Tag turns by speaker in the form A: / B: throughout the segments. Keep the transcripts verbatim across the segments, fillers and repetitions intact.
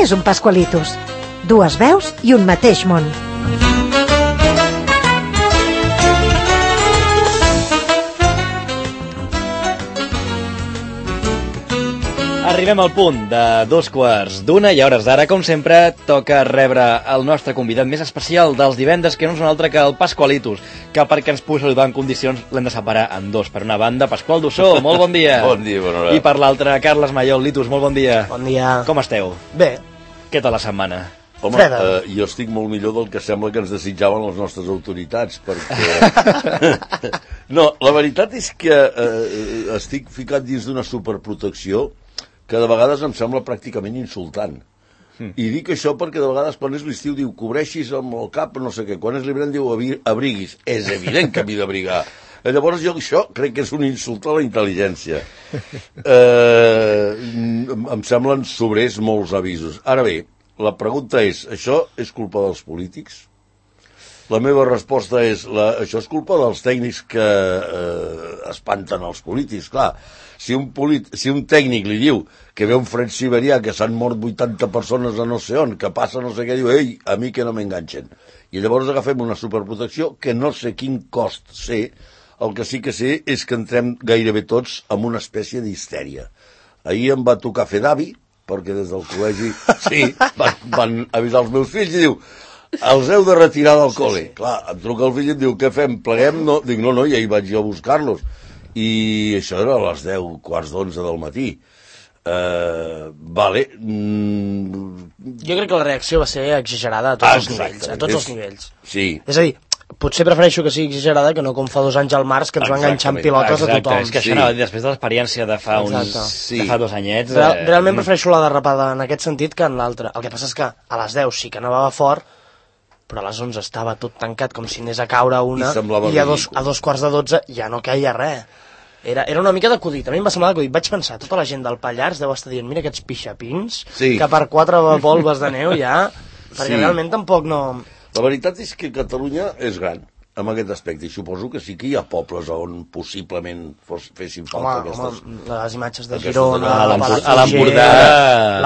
A: és un Pascualitos? Dues veus i un mateix món.
B: Arribem al punt de dos quarts d'una i a hores d'ara, com sempre, toca rebre el nostre convidat més especial dels divendres, que no és un altre que el Pascualitos, que perquè ens pugui saludar en condicions l'hem de separar en dos. Per una banda, Pasqual Dussó, molt bon dia.
C: Bon dia, bona hora.
B: I per l'altra, Carles Maiol. Litus, molt bon dia.
D: Bon dia.
B: Com esteu?
D: Bé.
B: Què tal la setmana?
C: Home, eh, jo estic molt millor del que sembla que ens desitjaven les nostres autoritats, perquè... No, la veritat és que eh, estic ficat dins d'una superprotecció que de vegades em sembla pràcticament insultant. Mm. I dic això perquè de vegades quan és l'estiu diu cobreixis amb el cap, no sé què, quan és l'hivern diu abriguis. És evident que m'hi d'abrigar. Llavors jo això crec que és un insult a la intel·ligència. Eh, em semblen sobrers molts avisos. Ara bé, la pregunta és, això és culpa dels polítics? La meva resposta és, la, això és culpa dels tècnics que eh, espanten els polítics, clar. Si un, polit, si un tècnic li diu que ve un fred siberià, que s'han mort vuitanta persones a no sé on, que passa no sé què, diu, ei, a mi que no m'enganxen. I llavors agafem una superprotecció que no sé quin cost sé, el que sí que sé és que entrem gairebé tots en una espècie d'histèria. Ahir em va tocar fer d'avi, perquè des del col·legi sí, van, van avisar els meus fills i diu, els heu de retirar del col·le. Sí, sí. Clar, em truca el fill i em diu, què fem, pleguem? No. Dic, no, no, i ahir vaig jo a buscar-los. I això era a les deu, quarts d'onze del matí. Uh, vale. Mm...
D: Jo crec que la reacció va ser exagerada a tots Exacte. els nivells. A tots és... els nivells.
C: Sí.
D: És a dir, potser prefereixo que sigui exagerada que no com fa dos anys al març que ens va enganxar amb pilotes
B: Exacte.
D: a tothom.
B: És que això sí. no, després de l'experiència de fa uns sí. de fa dos anyets...
D: Real, realment prefereixo la derrapada en aquest sentit que en l'altre. El que passa és que a les deu sí que nevava fort, però a les onze estava tot tancat com si anés a caure una i, i a, dos, a dos quarts de dotze ja no caia res. Era, era una mica d'acudit, a mi em va semblar d'acudit. Vaig pensar, tota la gent del Pallars deu estar dient, mira aquests pixapins, sí. que per quatre volves de neu ja, perquè sí. realment tampoc no...
C: La veritat és que Catalunya és gran en aquest aspecte, i suposo que sí que hi ha pobles on possiblement fos, fessin falta home, aquestes...
D: Home, les imatges de Girona,
B: a l'Empordà...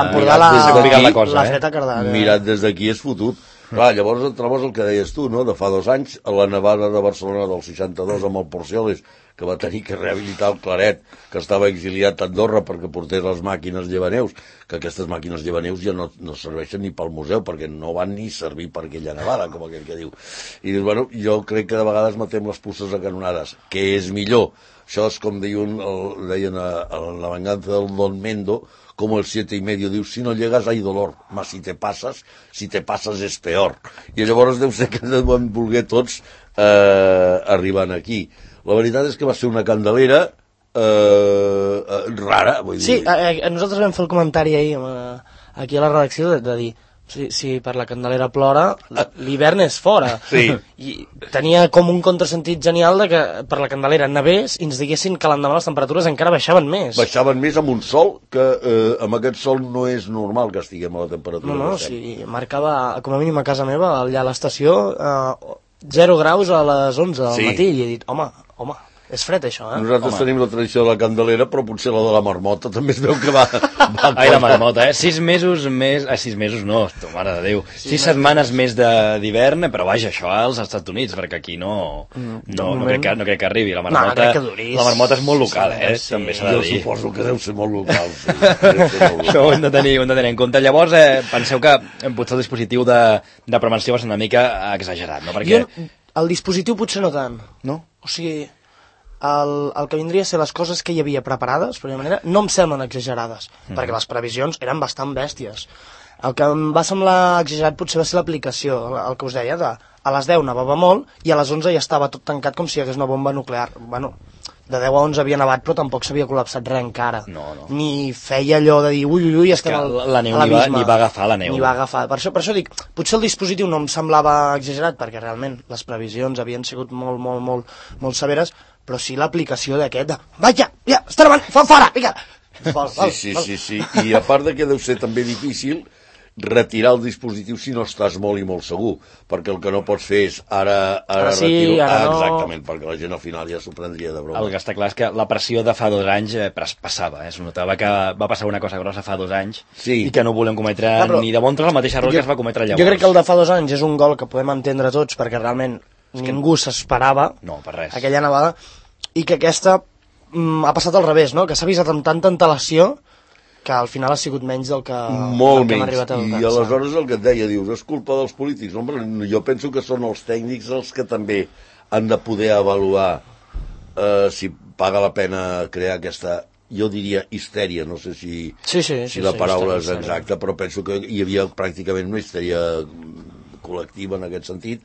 D: L'Empordà, la, la, cosa, la Freta Cardà...
C: Mirat des d'aquí és fotut. Clar, llavors et trobes el que deies tu, no? De fa dos anys, a la nevada de Barcelona del seixanta-dos amb el Porcioles, que va tenir que rehabilitar el Claret, que estava exiliat a Andorra perquè portés les màquines llevaneus, que aquestes màquines llevaneus ja no, no serveixen ni pel museu, perquè no van ni servir per aquella nevada, com aquell que diu. I dius, bueno, jo crec que de vegades matem les puces a canonades, que és millor. Això és com deien, el, deien a, a la venganza del Don Mendo, como el siete y medio, diu, si no llegas hay dolor, mas si te pasas, si te pasas és peor. I llavors deu ser que ens vam voler tots eh, arribant aquí. La veritat és que va ser una candelera eh, rara, vull dir.
D: Sí, a, a nosaltres vam fer el comentari ahir eh, aquí a la redacció de, de dir si, si per la candelera plora, l'hivern és fora.
C: Sí.
D: I tenia com un contrasentit genial de que per la candelera nevés i ens diguessin que l'endemà les temperatures encara baixaven més.
C: Baixaven més amb un sol, que eh, amb aquest sol no és normal que estiguem a la temperatura.
D: No, no, sí, marcava, com a mínim a casa meva, allà a l'estació, eh, zero graus a les onze del sí. matí, i he dit, home, home, és fred això, eh?
C: Nosaltres
D: home.
C: tenim la tradició de la candelera, però potser la de la marmota també es veu que va... va
B: Ai, la marmota, eh? Sis mesos més... Ah, sis mesos no, tu, mare de Déu. Sis, sis setmanes més d'hivern, però vaja, això als Estats Units, perquè aquí no... No, no, no, crec, que, no crec que arribi. La marmota,
D: no, no crec que
B: la marmota és molt local, eh?
D: Sí,
B: també s'ha de dir.
C: Jo suposo que deu ser molt local, sí. Ser molt local.
B: Això ho hem de tenir, ho hem de tenir en compte. Llavors, eh, penseu que potser el dispositiu de, de prevenció va ser una mica exagerat, no? Perquè...
D: Jo, el dispositiu potser no tant.
B: No?
D: O sigui... El, el que vindria a ser les coses que hi havia preparades, per manera, no em semblen exagerades, mm. perquè les previsions eren bastant bèsties. El que em va semblar exagerat potser va ser l'aplicació, el, el que us deia, de a les deu nevava molt i a les onze ja estava tot tancat com si hi hagués una bomba nuclear. Bueno, de deu a onze havia nevat, però tampoc s'havia col·lapsat res encara.
B: No, no.
D: Ni feia allò de dir, ui, ui, ui, estem al,
B: la neu a l'abisme. Ni va agafar la neu.
D: Ni va agafar. Per això, per això dic, potser el dispositiu no em semblava exagerat, perquè realment les previsions havien sigut molt, molt, molt, molt severes, però sí l'aplicació d'aquest de, vaja, ja, està davant, fa fora, vinga.
C: Vol, vol, sí, sí, vol. sí, sí, i a part de que deu ser també difícil retirar el dispositiu si no estàs molt i molt segur, perquè el que no pots fer és ara, ara,
D: ara sí,
C: retiro...
D: ara
C: ah,
D: no.
C: Exactament, perquè la gent al final ja s'ho prendria de broma.
B: El que està clar és que la pressió de fa dos anys eh, passava, eh? Es notava que va passar una cosa grossa fa dos anys
C: sí.
B: i que no volem cometre ah, però... ni de bon tros el mateix error jo, que es va cometre llavors.
D: Jo crec que el de fa dos anys és un gol que podem entendre tots, perquè realment és ningú que... s'esperava
B: no, per res.
D: Aquella nevada, i que aquesta mm, ha passat al revés, no? Que s'ha avisat amb tanta antelació que al final ha sigut menys del que,
C: molt
D: del que hem
C: menys.
D: arribat a
C: I aleshores el que et deia, dius, és culpa dels polítics. No, jo penso que són els tècnics els que també han de poder avaluar eh, si paga la pena crear aquesta, jo diria, histèria, no sé si,
D: sí, sí,
C: si
D: sí,
C: la
D: sí,
C: paraula
D: histèria,
C: és exacta, però penso que hi havia pràcticament una histèria col·lectiva en aquest sentit,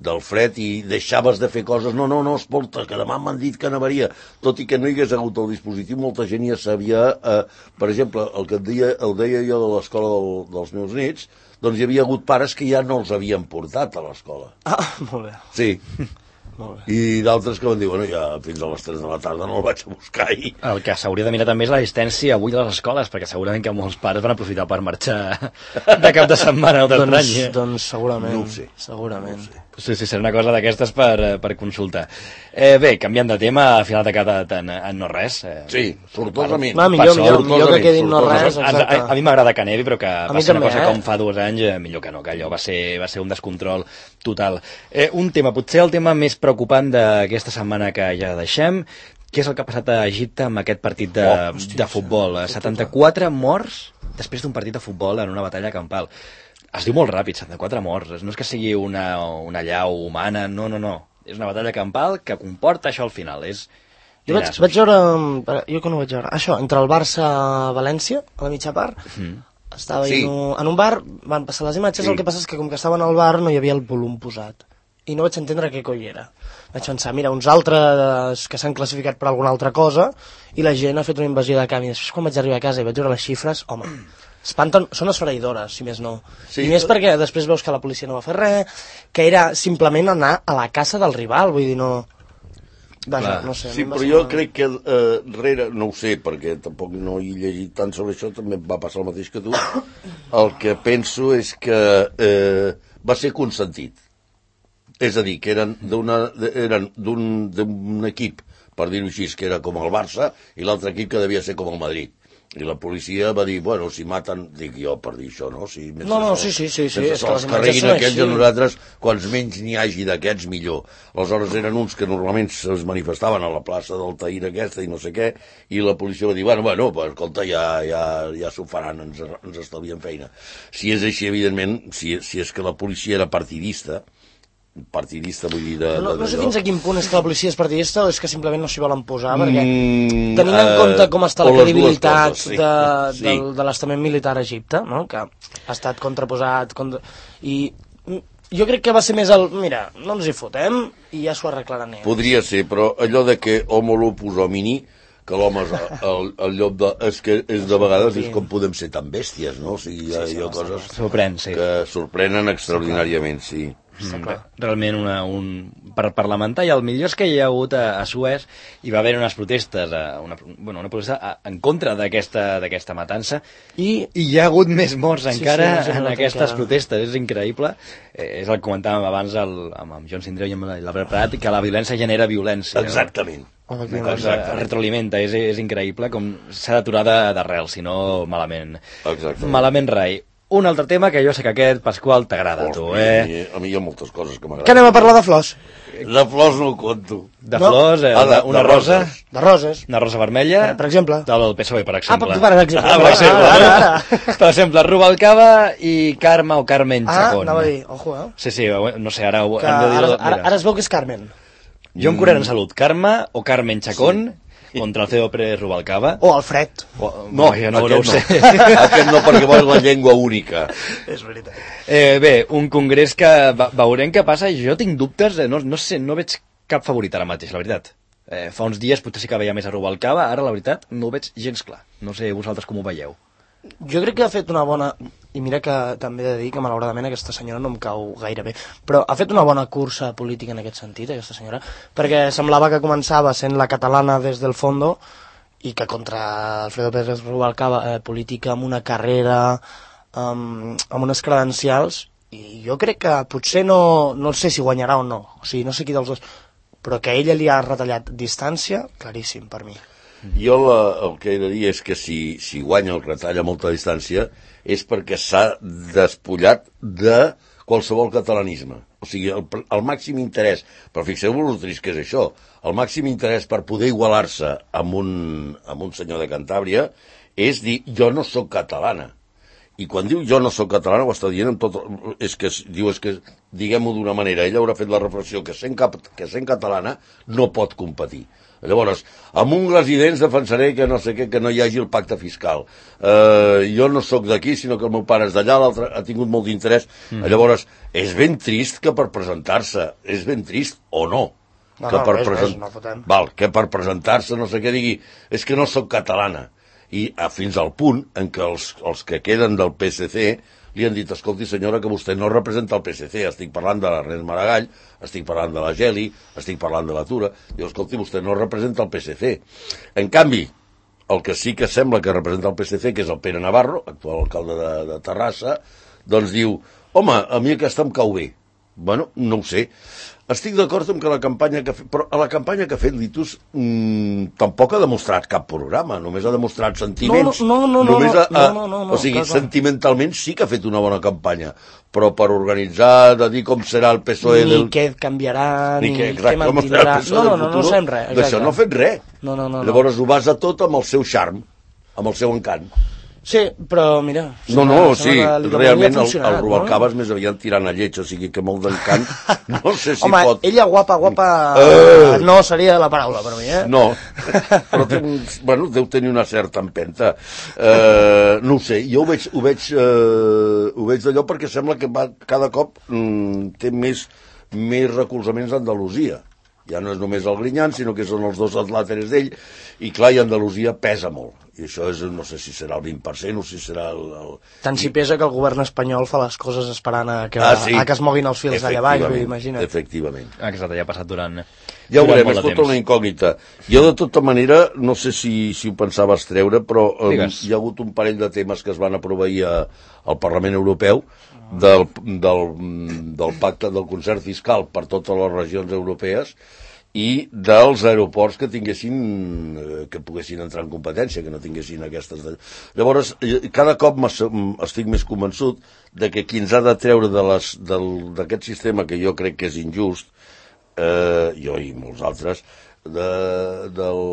C: del fred, i deixaves de fer coses, no, no, no, escolta, que demà m'han dit que nevaria, tot i que no hi hagués hagut el dispositiu, molta gent ja sabia, eh, per exemple, el que et deia, el deia jo de l'escola del, dels meus nets, doncs hi havia hagut pares que ja no els havien portat a l'escola.
D: Ah, molt bé.
C: Sí. I d'altres que van dir, bueno, ja fins a les tres de la tarda no el vaig a buscar i...
B: El que s'hauria de mirar també és l'assistència avui a les escoles, perquè segurament que molts pares van aprofitar per marxar de cap de setmana o d'altre any.
D: Doncs, doncs segurament.
C: No ho sé.
D: Segurament.
C: No ho sé.
B: Sí, sí, serà una cosa d'aquestes per, per consultar. Eh, bé, canviant de tema, al final de cada en, en no res. Eh,
C: sí, sortosament.
D: Va, millor, millor, millor que quedi no res, exacte.
B: A, a mi m'agrada que nevi, però que
D: a
B: va ser una
D: també,
B: cosa
D: eh?
B: com fa dos anys, eh, millor que no, que allò va ser, va ser un descontrol total. Eh, un tema, potser el tema més preocupant d'aquesta setmana que ja deixem, què és el que ha passat a Egipte amb aquest partit de, oh, hòstia, de futbol? setanta-quatre morts després d'un partit de futbol en una batalla campal. Es diu molt ràpid, setanta-quatre morts. No és que sigui una, una llau humana, no, no, no. És una batalla campal que comporta això al final. És...
D: Jo vaig, vaig veure, jo que no vaig veure, això, entre el Barça-València, a la mitja part, mm. estava sí. en, un, en un bar, van passar les imatges, sí. El que passa és que com que estaven al bar no hi havia el volum posat. I no vaig entendre què coi era. Vaig pensar, mira, uns altres que s'han classificat per alguna altra cosa i la gent ha fet una invasió de camp. I després quan vaig arribar a casa i vaig veure les xifres, home, espanten, són esfereïdores, si més no. Sí, I més perquè després veus que la policia no va fer res, que era simplement anar a la casa del rival, vull dir, no... Vaja, no sé,
C: sí,
D: no
C: però jo crec que eh, rere, no ho sé, perquè tampoc no he llegit tant sobre això, també va passar el mateix que tu, el que penso és que eh, va ser consentit. És a dir, que eren d'un equip, per dir-ho així, que era com el Barça, i l'altre equip que devia ser com el Madrid. I la policia va dir, bueno, si maten, dic jo per dir això, no? Si
D: no, no, sí, sí, sí. sí
C: és que els carreguin aquests a nosaltres, quants menys n'hi hagi d'aquests, millor. Aleshores eren uns que normalment es manifestaven a la plaça del Tahir aquesta i no sé què, i la policia va dir, bueno, bueno, pues, escolta, ja, ja, ja s'ho faran, ens, ens estalvien feina. Si és així, evidentment, si, si és que la policia era partidista, partidista, vull dir... De,
D: no,
C: de
D: no sé fins a quin punt és que la policia és partidista o és que simplement no s'hi volen posar, perquè
C: mm,
D: tenint en compte com està la credibilitat
C: coses, sí.
D: de,
C: sí.
D: de, de l'estament militar a Egipte, no? Que ha estat contraposat, contra... i jo crec que va ser més el... Mira, no ens hi fotem i ja s'ho arreglaran ells.
C: Podria ser, però allò de que homo lupus homini, que l'home és el, el llop de... És que és de vegades és com podem ser tan bèsties, no? O sigui, hi ha, sí, sí, hi ha coses
B: sorprèn, sí.
C: que sorprenen extraordinàriament, sí.
B: Mm, realment una, un, per parlamentar, i el millor és que hi ha hagut a, a Suez hi va haver unes protestes a, una, bueno, una protesta a, en contra d'aquesta matança i, i hi ha hagut més morts sí, encara sí, en aquestes encara. protestes, és increïble, eh, és el que comentàvem abans el, amb, amb John Sindreu i amb l'Albert Prat, que la violència genera violència.
C: Exactament.
B: No? Una cosa retroalimenta, és, és increïble com s'ha d'aturar d'arrel, si no malament.
C: Exactament.
B: Malament rai. Un altre tema que jo sé que aquest, Pasqual, t'agrada a tu, eh?
C: A mi hi ha moltes coses que m'agraden.
D: Que anem a parlar de flors?
C: De flors no ho conto.
B: De no? flors, eh? Ah, de, una
C: de
B: rosa.
D: De roses.
B: Una rosa vermella.
D: Per, per exemple.
B: Del P S O E, per exemple.
D: Ah, per, per exemple.
B: Ah, per exemple. Ah, ara, ara. Per exemple, Rubalcaba i Carme o Carmen Chacón.
D: Ah, anava a dir, ojo, eh?
B: Sí, sí, no sé, ara...
D: Que ara, ara, ara es veu que és Carmen.
B: Jo em curaré en salut. Carme o Carmen Chacón... Sí. Contra el C O Pérez Rubalcaba.
D: O Alfred.
B: O, no, jo no, no ho sé.
C: Aquest no, perquè vol la llengua única.
D: És veritat.
B: Eh, bé, un congrés que veurem què passa. Jo tinc dubtes, no, no sé, no veig cap favorit ara mateix, la veritat. Eh, fa uns dies potser sí que veia més a Rubalcaba, ara la veritat no ho veig gens clar. No sé vosaltres com ho veieu.
D: Jo crec que ha fet una bona... I mira que també he de dir que malauradament aquesta senyora no em cau gaire bé, però ha fet una bona cursa política en aquest sentit, aquesta senyora, perquè semblava que començava sent la catalana des del fondo i que contra Alfredo Pérez Rubalcaba, eh, política amb una carrera um, amb unes credencials, i jo crec que potser no, no sé si guanyarà o no, o sigui, no sé qui dels dos, però que ella li ha retallat distància, claríssim per mi.
C: Jo la, el que he de dir és que si, si guanya el retalla molta distància és perquè s'ha despullat de qualsevol catalanisme. O sigui, el, el màxim interès, però fixeu-vos el trist que és això, el màxim interès per poder igualar-se amb un, amb un senyor de Cantàbria és dir, jo no sóc catalana. I quan diu jo no sóc catalana ho està dient amb tot... És que, diu, és que diguem-ho d'una manera, ella haurà fet la reflexió que sent, cap, que sent catalana no pot competir. Llavors, amb ungles i dents defensaré que no sé què, que no hi hagi el pacte fiscal. Uh, jo no sóc d'aquí, sinó que el meu pare és d'allà, l'altre ha tingut molt d'interès. Mm. Llavors, és ben trist que per presentar-se, és ben trist o no,
D: no,
C: que,
D: no,
C: per
D: res,
C: present...
D: res, no fotem.
C: Val, que per presentar-se no sé què digui, és que no sóc catalana. I a, fins al punt en què els, els que queden del P S C li han dit, escolti senyora, que vostè no representa el P S C, estic parlant de l'Ernest Maragall, estic parlant de la Geli, estic parlant de la Tura, diu, escolti, vostè no representa el P S C. En canvi, el que sí que sembla que representa el P S C, que és el Pere Navarro, actual alcalde de, de Terrassa, doncs diu, home, a mi aquesta em cau bé. Bueno, no ho sé. Estic d'acord amb que la campanya que ha fet, però a la campanya que ha fet Litus mmm, tampoc ha demostrat cap programa, només ha demostrat sentiments.
D: No, no, no, no,
C: només
D: no,
C: ha, ha,
D: no, no, no,
C: o sigui,
D: clar, clar.
C: sentimentalment sí que ha fet una bona campanya, però per organitzar, de dir com serà el P S O E...
D: Ni
C: del...
D: què canviarà, ni,
C: ni què,
D: què mantindrà... No, no, no, no sabem res.
C: D'això no ha fet res.
D: No, no, no,
C: Llavors ho basa tot amb el seu charm, amb el seu encant.
D: Sí, però mira...
C: No, no, sí, realment el, el Rubalcaba és
D: no?
C: més aviat tirant a lleig, o sigui que molt d'encant, no sé si
D: Home,
C: pot...
D: ella guapa, guapa,
C: uh,
D: no seria la paraula per mi, eh?
C: No, però té, bueno, deu tenir una certa empenta. Uh, no ho sé, jo ho veig, ho veig, uh, ho veig d'allò perquè sembla que va, cada cop mm, té més, més recolzaments a Andalusia. Ja no és només el Grinyán, sinó que són els dos atlàteres d'ell, i clar, i Andalusia pesa molt. I això és, no sé si serà el vint per cent o si serà el... el...
D: Tant si pesa que el govern espanyol fa les coses esperant a que,
C: ah, sí.
D: a que es moguin els fils d'allà baix, imagina't.
C: Efectivament.
B: Exacte, ja ha passat durant...
C: Ja ho veurem, és tota una incògnita. Jo, de tota manera, no sé si, si ho pensaves treure, però um, hi ha hagut un parell de temes que es van aprovar ahir a, al Parlament Europeu del, del, del pacte del concert fiscal per totes les regions europees i dels aeroports que tinguessin, que poguessin entrar en competència, que no tinguessin aquestes... De... Llavors, cada cop estic més convençut de que qui ens ha de treure d'aquest sistema, que jo crec que és injust, eh, jo i molts altres, de, del,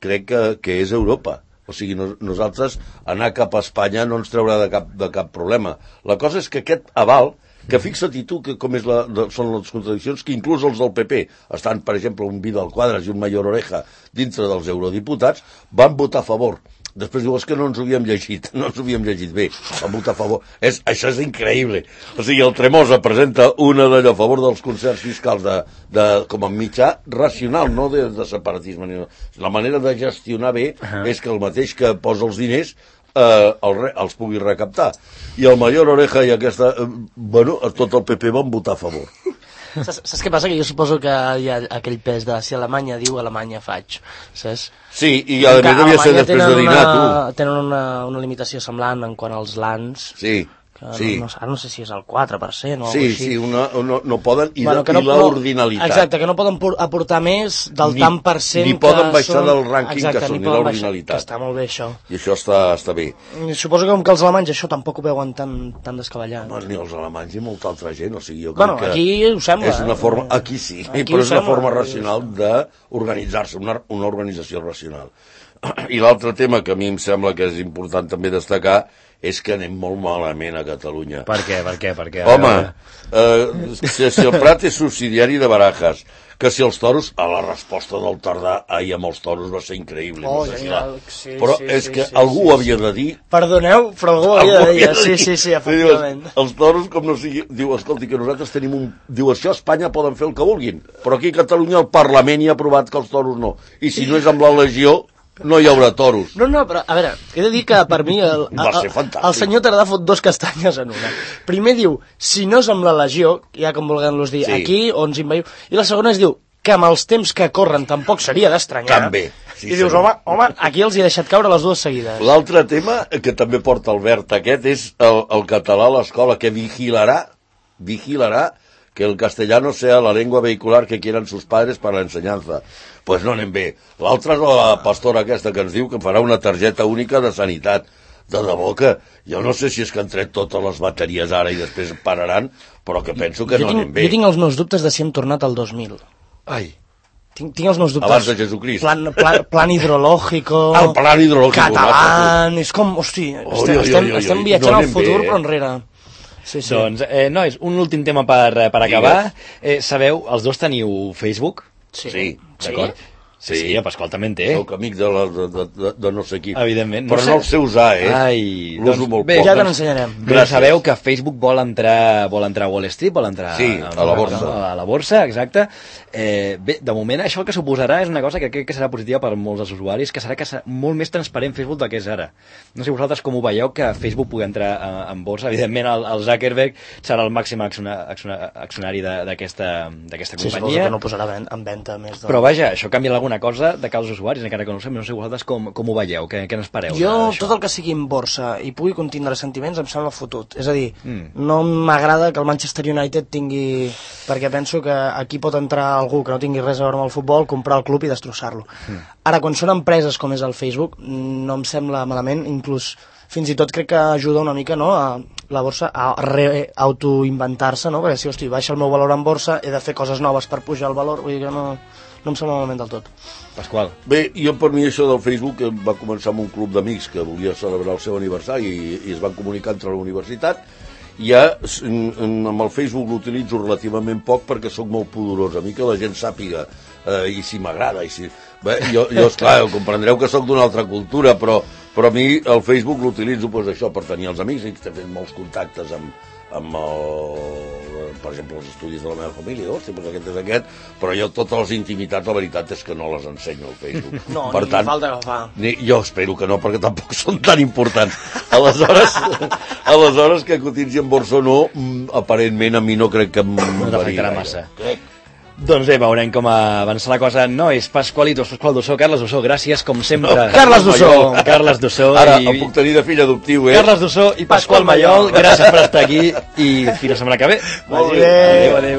C: crec que, que és Europa. O sigui, no, nosaltres anar cap a Espanya no ens traurà de cap, de cap problema. La cosa és que aquest aval, que fixa't i tu que com és la, de, són les contradiccions, que inclús els del P P estan, per exemple, un Vidal Quadras i un Mayor Oreja dintre dels eurodiputats, van votar a favor. Després diu, és que no ens ho havíem llegit, no ens ho havíem llegit bé, van votar a favor. És, això és increïble. O sigui, el Tremosa presenta una d'allò a favor dels concerts fiscals de, de, com a mitjà racional, no de, de separatisme. Ni no. La manera de gestionar bé uh -huh. és que el mateix que posa els diners eh, el re, els pugui recaptar. I el Mayor Oreja i aquesta... Eh, bueno, tot el P P van votar a favor.
D: Saps, saps què passa? Que jo suposo que hi ha aquell pes de si Alemanya diu, Alemanya faig, saps?
C: Sí, i a més devia ser després de dinar,
D: una, tu. Tenen una, una limitació semblant en quant als lands.
C: Sí, sí.
D: No, no, ara no sé si és el quatre per cent o
C: sí,
D: alguna així.
C: Sí, una, no, no poden, i,
D: bueno,
C: de,
D: no,
C: i l'ordinalitat.
D: Exacte, que no poden aportar més del
C: ni,
D: tant per cent
C: ni poden
D: que
C: baixar
D: són...
C: del rànquing
D: exacte,
C: que són, ni l'ordinalitat.
D: Que està molt bé, això.
C: I això està, està bé.
D: I suposo que com que els alemanys això tampoc ho veuen tan, tan descabellat.
C: No, ni els alemanys ni molta altra gent, o sigui, jo crec
D: bueno,
C: que...
D: aquí ho sembla.
C: És una forma, aquí sí, aquí però és una forma racional d'organitzar-se, una, una organització racional. I l'altre tema que a mi em sembla que és important també destacar és que anem molt malament a Catalunya.
B: Per què? Per què? Per què?
C: Home, eh, si, si el Prat és subsidiari de Barajas, que si els toros, a la resposta del Tardà ahir amb els toros va ser increïble.
D: Oh,
C: no sé si
D: genial,
C: la...
D: sí,
C: però
D: sí,
C: és
D: sí,
C: que
D: sí,
C: algú
D: sí,
C: havia
D: sí.
C: de dir...
D: Perdoneu, però algú havia de dir, sí, sí, sí, efectivament.
C: Diu, els toros, com no sigui... Diu, escolti, que nosaltres tenim un... Diu, això a Espanya poden fer el que vulguin, però aquí a Catalunya el Parlament hi ha aprovat que els toros no. I si no és amb la legió, no hi haurà toros.
D: No, no, però, a veure, he de dir que per mi el, el, el, el senyor Tardà fot dos castanyes en una. Primer diu, si no és amb la legió, ja com vulguem-los dir, sí. Aquí on ens inveiu, i la segona es diu, que amb els temps que corren tampoc seria d'estranyar.
C: També. Sí,
D: I dius, home, home, aquí els hi he deixat caure les dues seguides.
C: L'altre tema que també porta Albert aquest és el, el català a l'escola, que vigilarà, vigilarà que el castellano sea la lengua vehicular que quieran sus padres para la enseñanza. Pues no anem bé. L'altra és la pastora aquesta que ens diu que farà una targeta única de sanitat. De debò que jo no sé si és que han tret totes les bateries ara i després pararan, però que penso que
D: jo
C: no
D: tinc,
C: anem bé.
D: Jo tinc els meus dubtes de si hem tornat al dos mil.
C: Ai.
D: Tinc, tinc els meus dubtes.
C: Abans de Jesucrist.
D: Plan, plan, plan hidrològico...
C: El plan hidrològico.
D: Català... És com, hosti,
C: Oi,
D: estem,
C: oi,
D: estem,
C: oi, oi,
D: estem
C: oi,
D: viatjant
C: no
D: al
C: anem
D: futur,
C: bé, eh?
D: però enrere. Sí, sí.
B: Doncs, eh, nois, un últim tema per, per acabar. Eh, sabeu, els dos teniu Facebook?
D: Sí.
C: Sí,
B: d'acord.
C: sí.
B: Sí, sí, el Pasqual també en té.
C: Soc amic de, la, de, de, de no sé qui.
B: Evidentment.
C: Però
B: no, sé...
C: no el sé usar, eh?
B: Ai,
C: l'uso
B: doncs,
C: molt
B: bé,
C: poc.
D: Ja te n'ensenyarem.
B: Però sabeu que Facebook vol entrar, vol entrar a Wall Street, vol entrar
C: sí, a, a la borsa.
B: A, a la borsa, exacte. Eh, bé, de moment això el que suposarà és una cosa que crec que serà positiva per molts dels usuaris, que serà que serà molt més transparent Facebook del que és ara. No sé vosaltres com ho veieu, que Facebook pugui entrar a, en borsa. Evidentment el, el Zuckerberg serà el màxim accionari d'aquesta companyia.
D: Sí, suposo que no posarà en venda més. De...
B: Però vaja, això canviarà alguna cosa de cara als usuaris, encara que no ho sé, no sé vosaltres com, com ho veieu, què, què n'espereu?
D: Jo, tot el que sigui en borsa i pugui contindre sentiments em sembla fotut. És a dir,
B: mm.
D: no m'agrada que el Manchester United tingui... Perquè penso que aquí pot entrar algú que no tingui res a veure amb el futbol, comprar el club i destrossar-lo. Mm. Ara, quan són empreses com és el Facebook, no em sembla malament, inclús fins i tot crec que ajuda una mica, no?, a la borsa a autoinventar-se, no?, perquè si, hosti, baixa el meu valor en borsa, he de fer coses noves per pujar el valor, vull dir que no... no em sembla malament del tot.
B: Pasqual.
C: Bé, jo per mi això del Facebook va començar amb un club d'amics que volia celebrar el seu aniversari i, i es van comunicar entre la universitat. Ja amb el Facebook l'utilitzo relativament poc perquè sóc molt pudorós. A mi que la gent sàpiga eh, i si m'agrada i si... Bé, jo, jo esclar, comprendreu que sóc d'una altra cultura, però, però a mi el Facebook l'utilitzo pues, això per tenir els amics i estem fent molts contactes amb, amb el, per exemple, els estudis de la meva família, hosti, doncs aquest és aquest, però jo totes les intimitats, la veritat és que no les ensenyo al Facebook.
D: No,
C: per
D: ni
C: tant,
D: falta que fa.
C: Ni, jo espero que no, perquè tampoc són tan importants. Aleshores, aleshores que cotitzi en borsa o no, aparentment a mi no crec que em
B: no t'afectarà
C: gaire.
B: massa. Crec. Doncs bé, veurem com avança la cosa. No, és Pasqualitos, Pasqual Dussó, Carles Dussó, gràcies, com sempre.
C: No,
D: Carles Dussó.
B: Carles Dussó.
C: Ara,
B: i...
C: el puc tenir de fill adoptiu, eh?
B: Carles Dussó i Pasqual Mallol, gràcies per estar aquí i fins la setmana que ve.
C: Molt bé.
B: Adéu, adéu.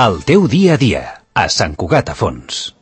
E: El teu dia a dia, a Sant Cugat a Fons.